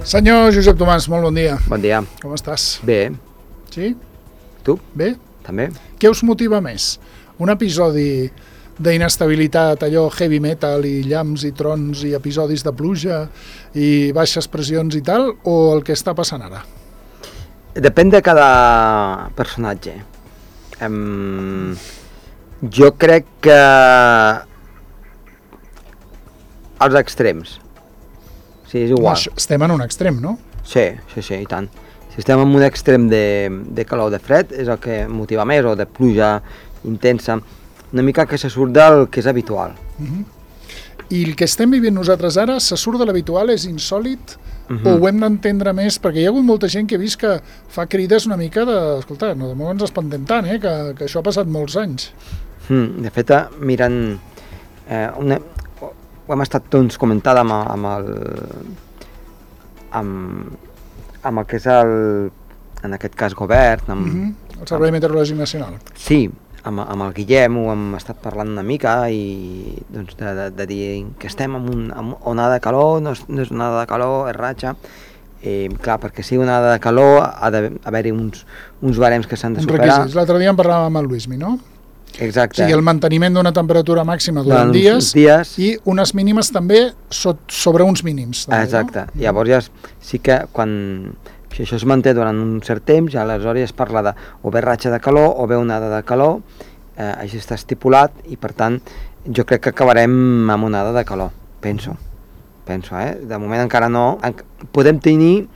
Senyor Josep Tomàs, molt bon dia. Bon dia. Com estàs? Bé. Sí? Tu? Bé? També. Què us motiva més? Un episodi d'inestabilitat, allò heavy metal i llamps i trons i episodis de pluja i baixes pressions i tal, o el que està passant ara? Depèn de cada personatge. Jo crec que els extrems. Sí, és igual. Estem en un extrem, no? Sí, i tant. Si estem en un extrem de calor o de fred, és el que motiva més, o de pluja intensa, una mica que se surt del que és habitual. I el que estem vivint nosaltres ara, se surt de l'habitual, és insòlit, o ho hem d'entendre més? Perquè hi ha hagut molta gent que he vist que fa crides una mica de... Escolta, no ens espantem tant, que això ha passat molts anys. De fet, mirant... ho hem estat tots comentant amb el que és en aquest cas govern, el Servei Meteorològic Nacional. Sí, amb el Guillem ho hem estat parlant una mica i doncs, de dir que estem en onada de calor, no és onada de calor, és ratxa. Clar, perquè sigui onada de calor ha d'haver-hi uns barems que s'han de superar. Requisits. L'altre dia en parlàvem amb el Luismi, no? Exacte. O sigui, el manteniment d'una temperatura màxima durant dies i unes mínimes també sobre uns mínims. També, exacte. No? Llavors ja sí que si això es manté durant un cert temps, ja aleshores es parla de o bé ratxa de calor o bé onada de calor, així està estipulat i per tant jo crec que acabarem amb onada de calor, penso, de moment encara no. Podem tenir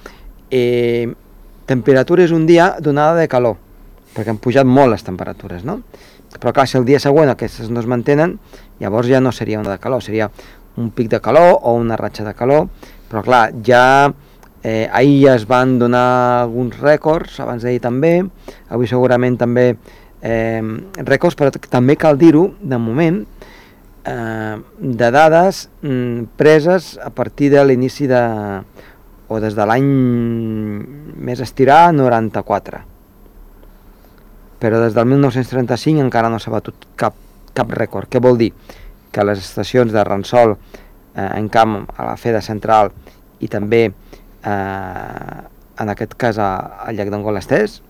temperatures un dia d'onada de calor, perquè han pujat molt les temperatures, no? Però clar, si el dia següent aquestes no es mantenen, llavors ja no seria onada de calor, seria un pic de calor o una ratxa de calor, però clar, ja ahir ja es van donar alguns rècords, abans d'ahir també, avui segurament també rècords, però també cal dir-ho, de moment, de dades preses a partir de l'inici o des de l'any més estirar, 94. Però des del 1935 encara no s'ha batut cap rècord. Què vol dir? Que les estacions de Ransol, en camp a la Feda Central i també en aquest cas al llac d'Angolestès,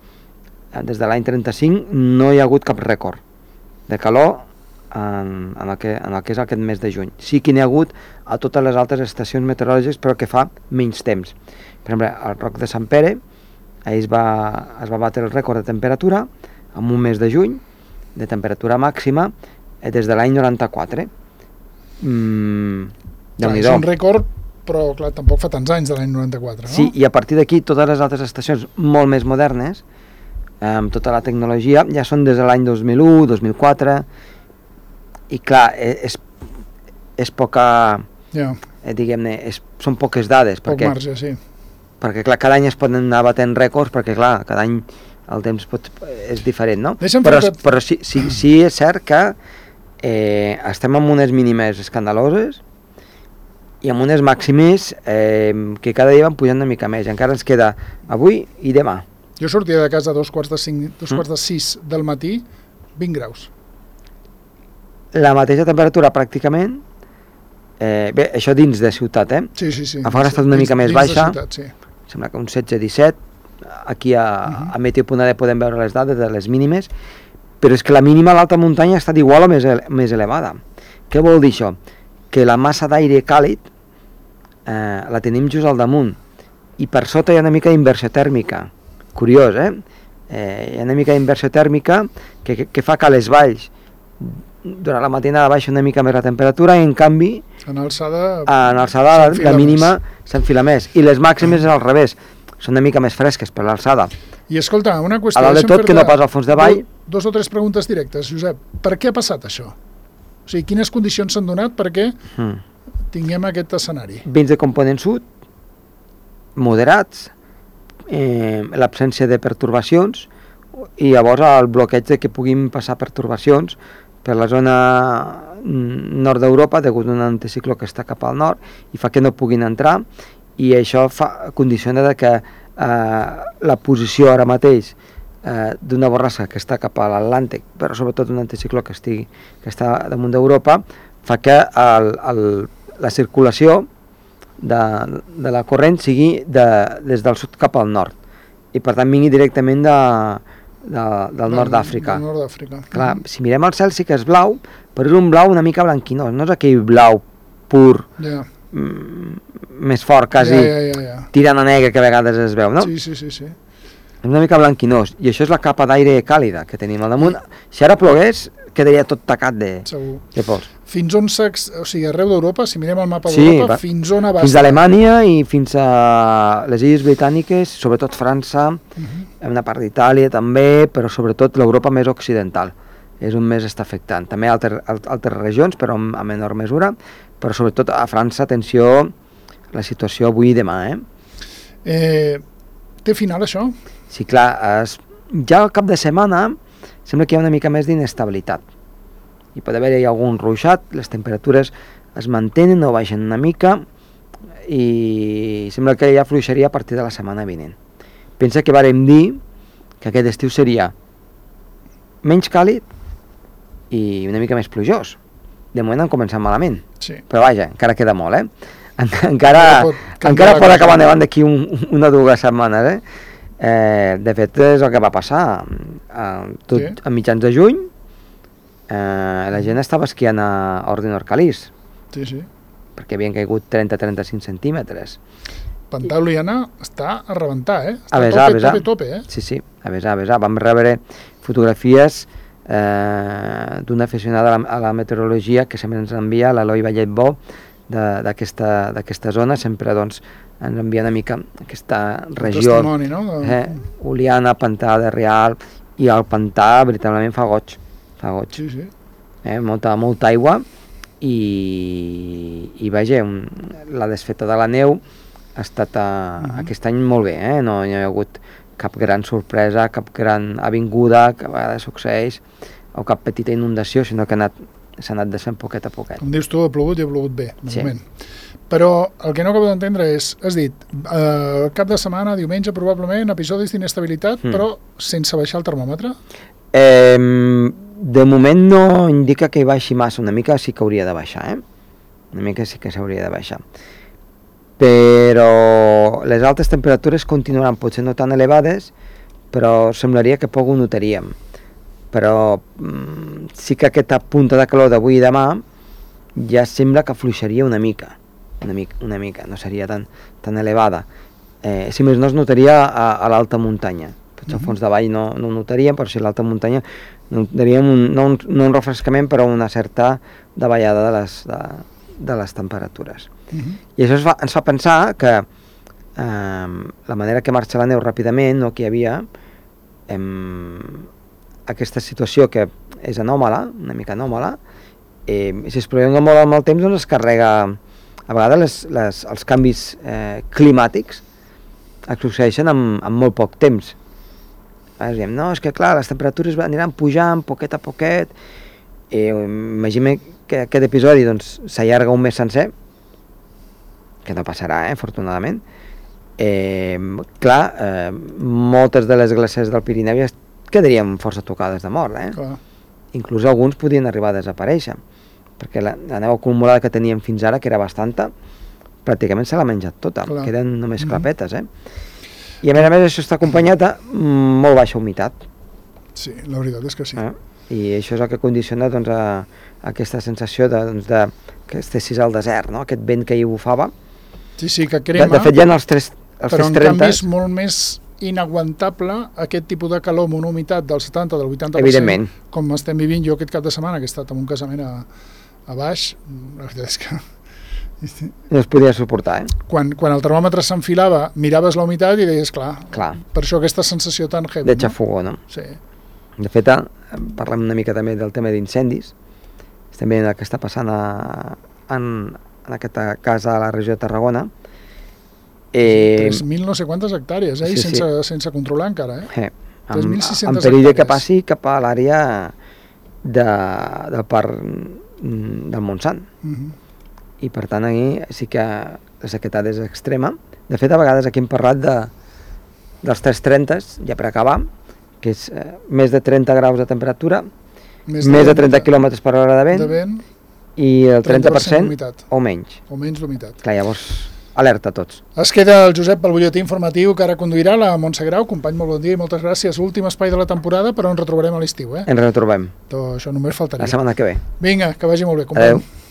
des de l'any 35 no hi ha hagut cap rècord de calor en el que és aquest mes de juny. Sí que n'hi ha hagut a totes les altres estacions meteorològiques, però que fa menys temps. Per exemple, al Roc de Sant Pere es va batre el rècord de temperatura en un mes de juny, de temperatura màxima, des de l'any 94. És un rècord, però clar, tampoc fa tants anys de l'any 94, no? Sí, i a partir d'aquí totes les altres estacions molt més modernes, amb tota la tecnologia, ja són des de l'any 2001, 2004, i clar, és poca, diguem-ne, són poques dades. Poc marge, sí. Perquè clar, cada any es poden anar batent rècords, perquè clar, cada any el temps és diferent, no? Però sí és cert que estem amb unes mínimes escandaloses i amb unes màximes que cada dia van pujant una mica més. Encara ens queda avui i demà. Jo sortia de casa a 2:45 del matí, 20 graus. La mateixa temperatura pràcticament, bé, això dins de ciutat, Sí. A fora ha estat una mica més baixa, ciutat, sí. Sembla que un 16-17, aquí a Meteo.d podem veure les dades de les mínimes, però és que la mínima a l'alta muntanya ha estat igual o més elevada. Què vol dir això? Que la massa d'aire càlid la tenim just al damunt i per sota hi ha una mica d'inversió tèrmica. Curiós, hi ha una mica d'inversió tèrmica que fa que a les valls durant la matinada baixa una mica més la temperatura i en canvi en alçada la mínima s'enfila més i les màximes és al revés, són una mica més fresques per l'alçada. I escolta, una qüestió... A dalt de tot, que no pas al fons de vall... 2 o 3 preguntes directes, Josep. Per què ha passat això? O sigui, quines condicions s'han donat perquè tinguem aquest escenari? Vents de component sud, moderats, l'absència de pertorbacions i llavors el bloqueig de que puguin passar pertorbacions per la zona nord d'Europa degut a un anticicló que està cap al nord i fa que no puguin entrar i això condiciona que la posició ara mateix d'una borrassa que està cap a l'Atlàntic, però sobretot un anticicló que està damunt d'Europa, fa que la circulació de la corrent sigui des del sud cap al nord, i per tant vingui directament del nord d'Àfrica. Del nord d'Àfrica. Clar, si mirem el cel sí que és blau, però és un blau una mica blanquinós, no és aquell blau pur, més fort, quasi tirant a negre que a vegades es veu, no? Sí. És una mica blanquinós, i això és la capa d'aire càlida que tenim al damunt. Si ara plogués, quedaria tot tacat de pols. Fins on arreu d'Europa, si mirem el mapa d'Europa, fins on abasta? Fins a Alemanya i fins a les Illes Britàniques, sobretot França, una part d'Itàlia també, però sobretot l'Europa més occidental. És on més està afectant. També altres regions, però a menor mesura, però sobretot a França, atenció, la situació avui i demà. Té final això? Sí, clar, ja al cap de setmana sembla que hi ha una mica més d'inestabilitat. Hi pot haver-hi algun ruixat, les temperatures es mantenen o baixen una mica i sembla que ja fluixaria a partir de la setmana vinent. Pensa que vàrem dir que aquest estiu seria menys càlid i una mica més plujós. De moment han començat malament, però vaja, encara queda molt, encara pot acabar nevant d'aquí una o dues setmanes, de fet és el que va passar a mitjans de juny. La gent estava esquiant a Ordin Orcalís perquè havien caigut 30-35 centímetres. Pantà Oliana està a rebentar, està a tope. Sí, a besar. Vam rebre fotografies d'una aficionada a la meteorologia que sempre ens envia, l'Eloi Vallet-Bo, d'aquesta zona, sempre ens envia una mica aquesta regió, Oliana, Pantà de Rialb, i el pantà veritablement fa goig. Molta aigua i vaja, la desfeta de la neu ha estat aquest any molt bé, no hi ha hagut cap gran sorpresa, cap gran avinguda, que a vegades succeeix, o cap petita inundació, sinó que s'ha anat desfent poquet a poquet. Com dius tu, ha plogut i ha plogut bé, de moment. Però el que no acabo d'entendre és, has dit, cap de setmana, diumenge, probablement, episodis d'inestabilitat, però sense baixar el termòmetre? De moment no indica que hi baixi massa, una mica sí que hauria de baixar, una mica sí que s'hauria de baixar. Però les altes temperatures continuaran potser no tan elevades, però semblaria que poc ho notaríem. Però sí que aquesta punta de calor d'avui i demà ja sembla que fluixaria una mica, no seria tan elevada. Si més no es notaria a l'alta muntanya. Potser al fons de vall no ho notaríem, però si a l'alta muntanya notaríem no un refrescament, però una certa davallada de les temperatures. I això ens fa pensar que la manera que marxa la neu ràpidament, que hi havia aquesta situació que és anòmala, una mica anòmala, si es prolonga molt amb el temps, doncs es carrega. A vegades els canvis climàtics es succeeixen en molt poc temps. Diem, no, és que clar, les temperatures aniran pujant poquet a poquet, imaginem que aquest episodi s'allarga un mes sencer, que no passarà, afortunadament. Moltes de les glaceres del Pirineu ja quedarien força tocades de mort, inclús alguns podien arribar a desaparèixer, perquè la neu acumulada que teníem fins ara, que era bastanta, pràcticament se l'ha menjat tota, queden només clapetes, I a més això està acompanyat de molt baixa humitat. Sí, la veritat és que sí. I això és el que condiciona aquesta sensació que estessis al desert, aquest vent que hi bufava. Sí, que crema. De fet, hi ha els 330... Però en canvi és molt més inaguantable aquest tipus de calor amb una humitat del 70, del 80%, evidentment, com estem vivint jo aquest cap de setmana, que he estat en un casament a baix, la veritat és que... No es podia suportar, Quan el termòmetre s'enfilava, miraves la humitat i deies, clar. Per això aquesta sensació tan heavy. De xafogó, no? Sí. De fet, parlem una mica també del tema d'incendis. Estem veient el que està passant en aquesta casa a la regió de Tarragona. 3.000 no sé quantes hectàrees, i sense controlar encara, en perill que passi cap a l'àrea del parc del Montsant. I per tant aquí sí que la sequedat és extrema. De fet, a vegades aquí hem parlat dels 330, ja per acabar, que és més de 30 graus de temperatura, més de 30 km per hora de vent, i el 30% o menys. O menys d'humitat. Clar, llavors alerta a tots. Es queda el Josep pel butlletí informatiu que ara conduirà la Montse Grau. Company, molt bon dia i moltes gràcies. Últim espai de la temporada, però ens retrobarem a l'estiu, eh? Ens retrobem. Això només faltaria. La setmana que ve. Vinga, que vagi molt bé, company. Adéu.